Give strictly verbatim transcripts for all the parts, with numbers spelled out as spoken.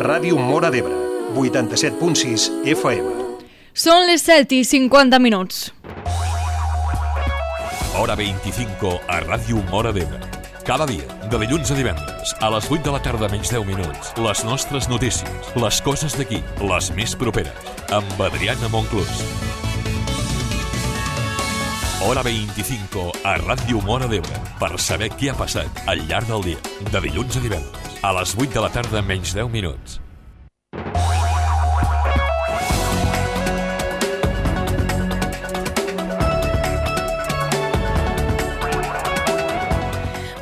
Ràdio Móra d'Ebre, vuitanta-set punt sis F M. Són les set i cinquanta minuts. Hora veinticinco a Ràdio Móra d'Ebre. Cada dia, de dilluns a divendres, a les vuit de la tarda menys deu minuts, les nostres notícies, les coses d'aquí, les més properes, amb Adriana Monclús. Hora veinticinco a Ràdio Móra d'Ebre, per saber què ha passat al llarg del dia, de dilluns a divendres, a les vuit de la tarda menys deu minuts.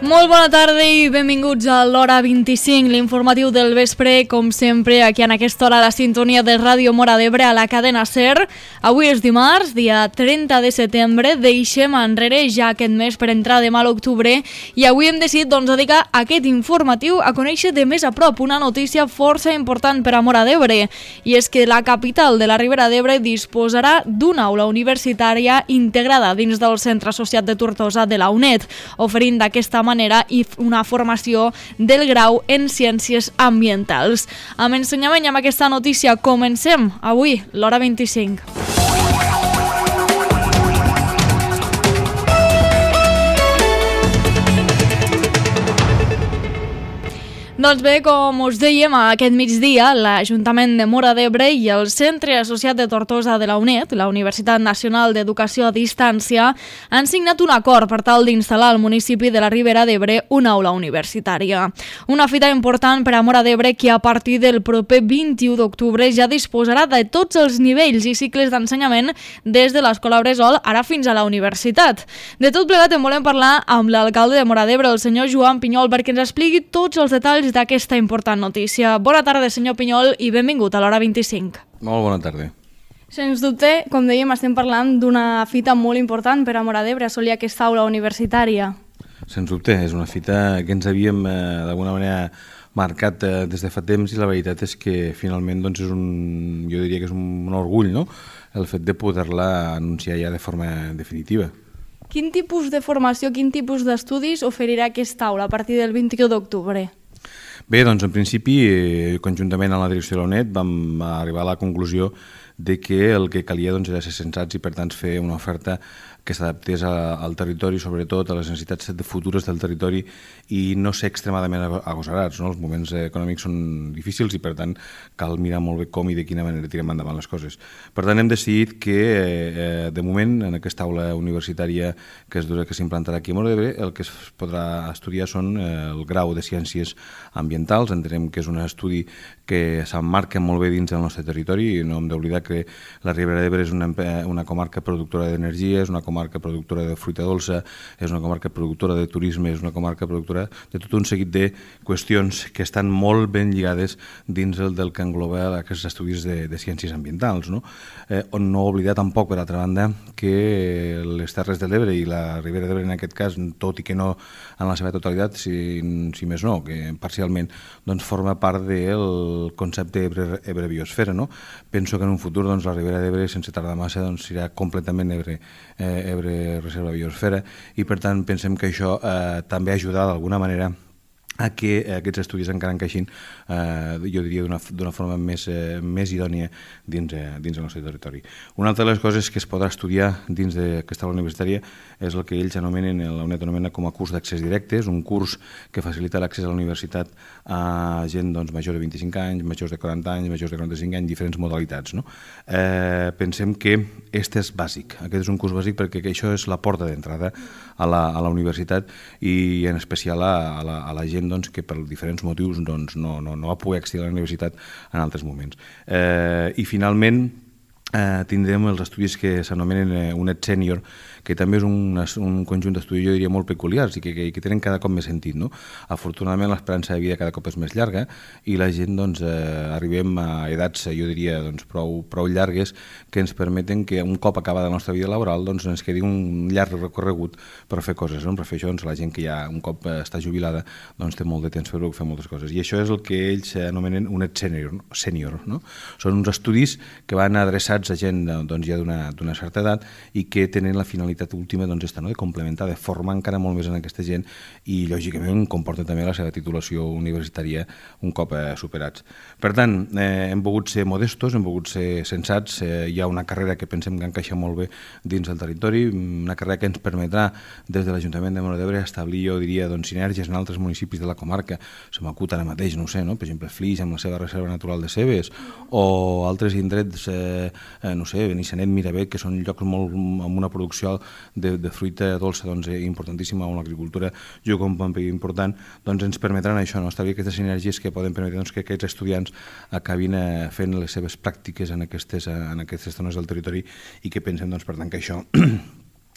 Molt bona tarda i benvinguts a l'Hora vint-i-cinc, l'informatiu del vespre, com sempre, aquí en aquesta hora, la sintonia de Ràdio Móra d'Ebre a la cadena SER. Avui és dimarts, dia trenta de setembre, deixem enrere ja aquest mes per entrar demà a l'octubre i avui hem decidit doncs, dedicar aquest informatiu a conèixer de més a prop una notícia força important per a Móra d'Ebre, i és que la capital de la Ribera d'Ebre disposarà d'una aula universitària integrada dins del Centre Associat de Tortosa de la UNED, oferint d'aquesta manera i una formació del grau en Ciències Ambientals. Amb ensenyament i amb aquesta notícia comencem avui l'Hora vint-i-cinc. Doncs bé, com us dèiem, aquest migdia l'Ajuntament de Móra d'Ebre i el Centre Associat de Tortosa de la UNED, la Universitat Nacional d'Educació a Distància, han signat un acord per tal d'instal·lar al municipi de la Ribera d'Ebre una aula universitària. Una fita important per a Móra d'Ebre que a partir del proper vint-i-u d'octubre ja disposarà de tots els nivells i cicles d'ensenyament des de l'Escola Bressol ara fins a la universitat. De tot plegat en volem parlar amb l'alcalde de Móra d'Ebre, el senyor Joan Pinyol, perquè ens expliqui tots els detalls d'aquesta important notícia. Bona tarda, senyor Pinyol, i benvingut a l'Hora vint-i-cinc. Molt bona tarda. Sens dubte, com dèiem, estem parlant d'una fita molt important per a Móra d'Ebre, assolir aquesta aula universitària. Sens dubte, és una fita que ens havíem eh, d'alguna manera marcat eh, des de fa temps, i la veritat és que finalment doncs, és un, jo diria que és un, un orgull, no?, el fet de poder-la anunciar ja de forma definitiva. Quin tipus de formació, quin tipus d'estudis oferirà aquesta aula a partir del vint-i-u d'octubre? Bé, doncs en principi, eh, conjuntament amb la direcció de la UNED vam arribar a la conclusió de que el que calia doncs, era ser sensats i per tant fer una oferta que s'adaptés al territori, sobretot a les necessitats futures del territori, i no ser extremadament agosarats, no? Els moments econòmics són difícils i per tant cal mirar molt bé com i de quina manera tirem endavant les coses. Per tant hem decidit que eh, de moment en aquesta aula universitària que es durà, que s'implantarà aquí a Móra d'Ebre, el que es podrà estudiar són eh, el grau de Ciències Ambientals. Entenem que és un estudi que s'emmarca molt bé dins del nostre territori i no hem d'oblidar que la Ribera d'Ebre és una, una comarca productora d'energia, és una comarca productora de fruita dolça, és una comarca productora de turisme, és una comarca productora de tot un seguit de qüestions que estan molt ben lligades dins el del que engloba aquests estudis de, de ciències ambientals, no? Eh, on no oblidar tampoc, per altra banda, que les Terres de l'Ebre i la Ribera d'Ebre en aquest cas, tot i que no en la seva totalitat, si, si més no, que parcialment doncs forma part del concepte Ebre, Ebre Biosfera, no? Penso que en un futur doncs, la Ribera d'Ebre, sense tardar massa, doncs, serà completament Ebre, eh, Ebre Reserva Biosfera, i per tant pensem que això eh, també ajudarà d'alguna manera a que aquests estudis encara encaixin, eh, jo diria, d'una forma més, eh, més idònia dins, eh, dins del nostre territori. Una altra de les coses que es podrà estudiar dins d'aquesta aula universitària és el que ells anomenen, la UNED anomena com a curs d'accés directe. És un curs que facilita l'accés a la universitat a gent doncs, major de vint-i-cinc anys, majors de quaranta anys, majors de quaranta-cinc anys, diferents modalitats, no? Eh, pensem que aquest és bàsic, aquest és un curs bàsic perquè això és la porta d'entrada a la, a la universitat i en especial a, a, la, a la gent doncs, que per diferents motius doncs, no, no, no va poder accedir a la universitat en altres moments. Eh, I finalment eh, tindrem els estudis que s'anomenen eh, UNED Sènior, que també és un, un conjunt d'estudis, jo diria, molt peculiars i que, que, que tenen cada cop més sentit, no? Afortunadament l'esperança de vida cada cop és més llarga i la gent doncs, eh, arribem a edats, jo diria, doncs, prou, prou llargues que ens permeten que un cop acabada la nostra vida laboral doncs, ens quedi un llarg recorregut per fer coses, no? Per fer això doncs, la gent que ja un cop està jubilada doncs, té molt de temps per fer moltes coses, i això és el que ells anomenen UNED Sènior, sènior, no? Són uns estudis que van adreçats contractats a gent doncs, ja d'una certa edat i que tenen la finalitat última doncs, esta, no? de complementar, de formar encara molt més en aquesta gent i lògicament comporta també la seva titulació universitària un cop eh, superats. Per tant, eh, hem volgut ser modestos, hem volgut ser sensats, eh, hi ha una carrera que pensem que encaixa molt bé dins del territori, una carrera que ens permetrà des de l'Ajuntament de Móra d'Ebre establir, jo diria, doncs, sinergies en altres municipis de la comarca, se m'acut ara mateix, no ho sé, no? Per exemple, Flix amb la seva reserva natural de Cebes, o altres indrets, eh, eh, no sé, Benissanet, Miravet, que són llocs molt, amb una producció de, de fruita dolça doncs, importantíssima, on l'agricultura juga un paper important, doncs ens permetran això, no? Establir aquestes sinergies que poden permetre doncs, que aquests estudiants acabin eh, fent les seves pràctiques en aquestes, en aquestes zones del territori i que pensem, doncs, per tant, que això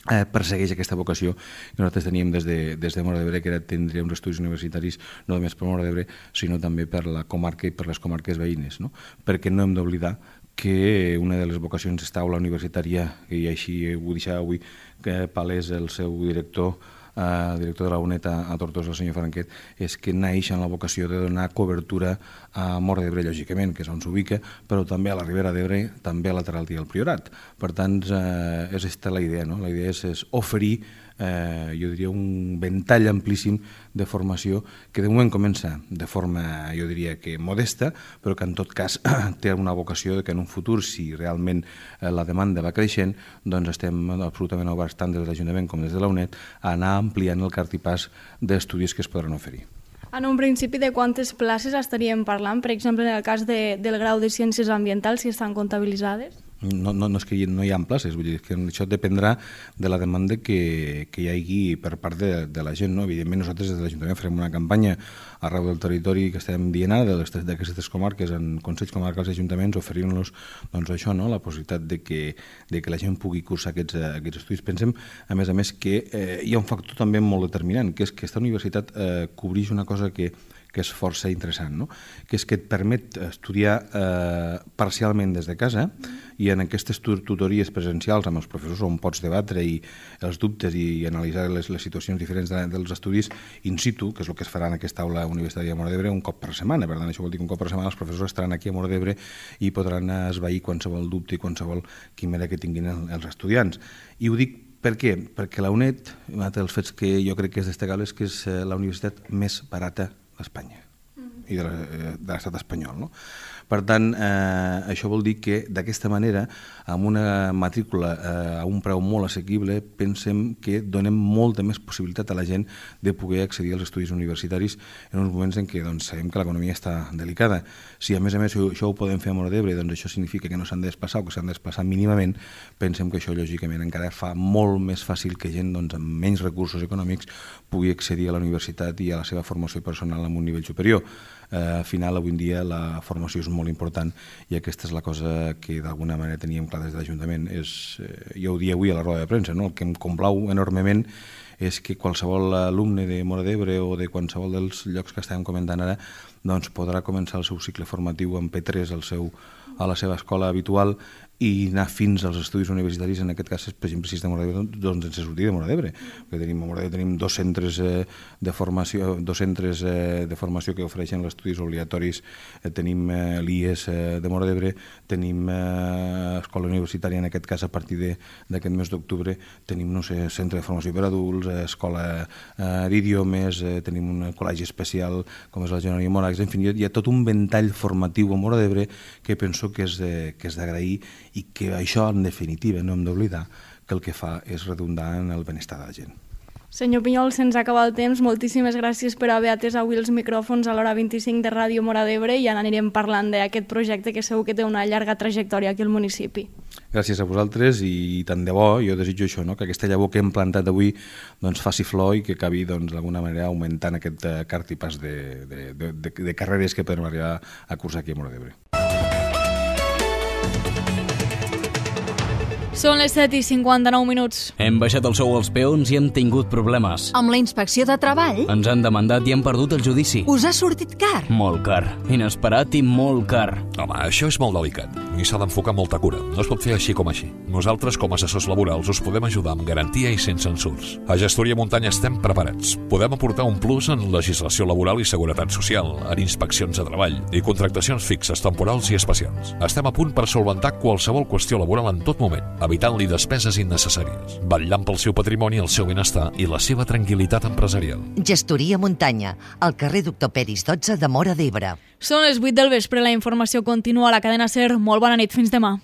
Eh, persegueix aquesta vocació que nosaltres teníem des de, des de Móra d'Ebre, que era tindre uns estudis universitaris no només per Móra d'Ebre, sinó també per la comarca i per les comarques veïnes, no? Perquè no hem d'oblidar que una de les vocacions d'esta aula universitària, i així ho deixava avui que palès el seu director, el director de la UNED a Tortosa, el senyor Franquet, és que naix en la vocació de donar cobertura a Móra d'Ebre, lògicament, que és on s'ubica, però també a la Ribera d'Ebre, també a la Terralta i al Priorat. Per tant, eh, és aquesta la idea, no? La idea és, és oferir, eh, jo diria, un ventall amplíssim de formació que de moment comença de forma, jo diria, que modesta, però que en tot cas té una vocació que en un futur, si realment eh, la demanda va creixent, doncs estem absolutament oberts tant des de l'Ajuntament com des de la UNED a anar ampliant el cartipàs d'estudis que es podran oferir. En un principi, de quantes places estaríem parlant? Per exemple, en el cas de, del grau de Ciències Ambientals, si estan comptabilitzades? No, no, no és que no hi ha places, vull dir, que això dependrà de la demanda que, que hi hagi per part de, de la gent, no? Evidentment nosaltres des de l'Ajuntament farem una campanya arreu del territori que estem dient ara d'aquestes comarques en consells comarcals i ajuntaments, oferint-los doncs això, no? La possibilitat de que, de que la gent pugui cursar aquests, aquests estudis. Pensem, a més a més, que eh, hi ha un factor també molt determinant, que és que aquesta universitat eh, cobreix una cosa que que és força interessant, no? Que és que et permet estudiar eh, parcialment des de casa i en aquestes tutories presencials amb els professors on pots debatre i els dubtes i analitzar les, les situacions diferents de, dels estudis in situ, que és el que es farà en aquesta aula universitària de Móra d'Ebre un cop per setmana. Per tant, això vol dir que un cop per setmana els professors estaran aquí a Móra d'Ebre i podran esvair qualsevol dubte i qualsevol quimera que tinguin els estudiants. I ho dic per què? Perquè la UNED, un dels fets que jo crec que és destacable, és que és la universitat més barata d'Espanya i de l'estat espanyol, no? Per tant, eh, això vol dir que d'aquesta manera, amb una matrícula eh, a un preu molt assequible, pensem que donem molta més possibilitat a la gent de poder accedir als estudis universitaris en uns moments en què doncs, sabem que l'economia està delicada. Si a més a més això ho podem fer a Móra d'Ebre, doncs això significa que no s'han de desplaçar o que s'han de desplaçar mínimament, pensem que això lògicament encara fa molt més fàcil que gent doncs, amb menys recursos econòmics pugui accedir a la universitat i a la seva formació personal en un nivell superior. Eh, al final, avui en dia, la formació és molt important i aquesta és la cosa que d'alguna manera teníem clar des de l'Ajuntament. És, eh, jo ho dia avui a la roda de premsa, no? El que em complau enormement és que qualsevol alumne de Móra d'Ebre o de qualsevol dels llocs que estàvem comentant ara doncs podrà començar el seu cicle formatiu en P tres al seu, a la seva escola habitual i anar fins als estudis universitaris, en aquest cas, per exemple, si és de Móra d'Ebre, doncs sense sortir de Móra d'Ebre. Perquè tenim, a Móra d'Ebre tenim dos centres, eh, de, formació, dos centres eh, de formació que ofereixen els estudis obligatoris. Eh, tenim eh, l'I E S eh, de Móra d'Ebre, tenim eh, escola universitària, en aquest cas, a partir d'aquest mes d'octubre, tenim, no sé, centre de formació per adults, eh, escola eh, d'idiomes, eh, tenim un col·legi especial, com és el Genori Morax, en fi, hi ha tot un ventall formatiu a Móra d'Ebre que penso que és, eh, que és d'agrair i que això, en definitiva, no hem d'oblidar que el que fa és redundar en el benestar de la gent. Senyor Pinyol, se'ns acaba el temps. Moltíssimes gràcies per haver atès avui els micròfons a l'hora vint-i-cinc de Ràdio Móra d'Ebre i ja anirem parlant d'aquest projecte que segur que té una llarga trajectòria aquí al municipi. Gràcies a vosaltres i tant de bo, jo desitjo això, no? Que aquesta llavor que hem plantat avui doncs, faci flor i que acabi doncs, d'alguna manera augmentant aquest cartipàs de, de, de, de, de carreres que podem arribar a cursar aquí a Móra d'Ebre. Són les set i cinquanta-nou minuts. Hem baixat el sou als peons i hem tingut problemes. Amb la inspecció de treball? Ens han demandat i hem perdut el judici. Us ha sortit car? Molt car. Inesperat i molt car. Home, això és molt delicat i s'ha d'enfocar molta cura. No es pot fer així com així. Nosaltres, com a assessors laborals, us podem ajudar amb garantia i sense censurs. A Gestoria Muntanya estem preparats. Podem aportar un plus en legislació laboral i seguretat social, en inspeccions de treball i contractacions fixes, temporals i especials. Estem a punt per solventar qualsevol qüestió laboral en tot moment, evitant-li despeses innecessàries, vetllant pel seu patrimoni, el seu benestar i la seva tranquil·litat empresarial. Gestoria Muntanya, al carrer Doctor Peris dotze de Móra d'Ebre. Són les vuit del vespre, la informació continua a la cadena SER. Molt bona nit, fins demà.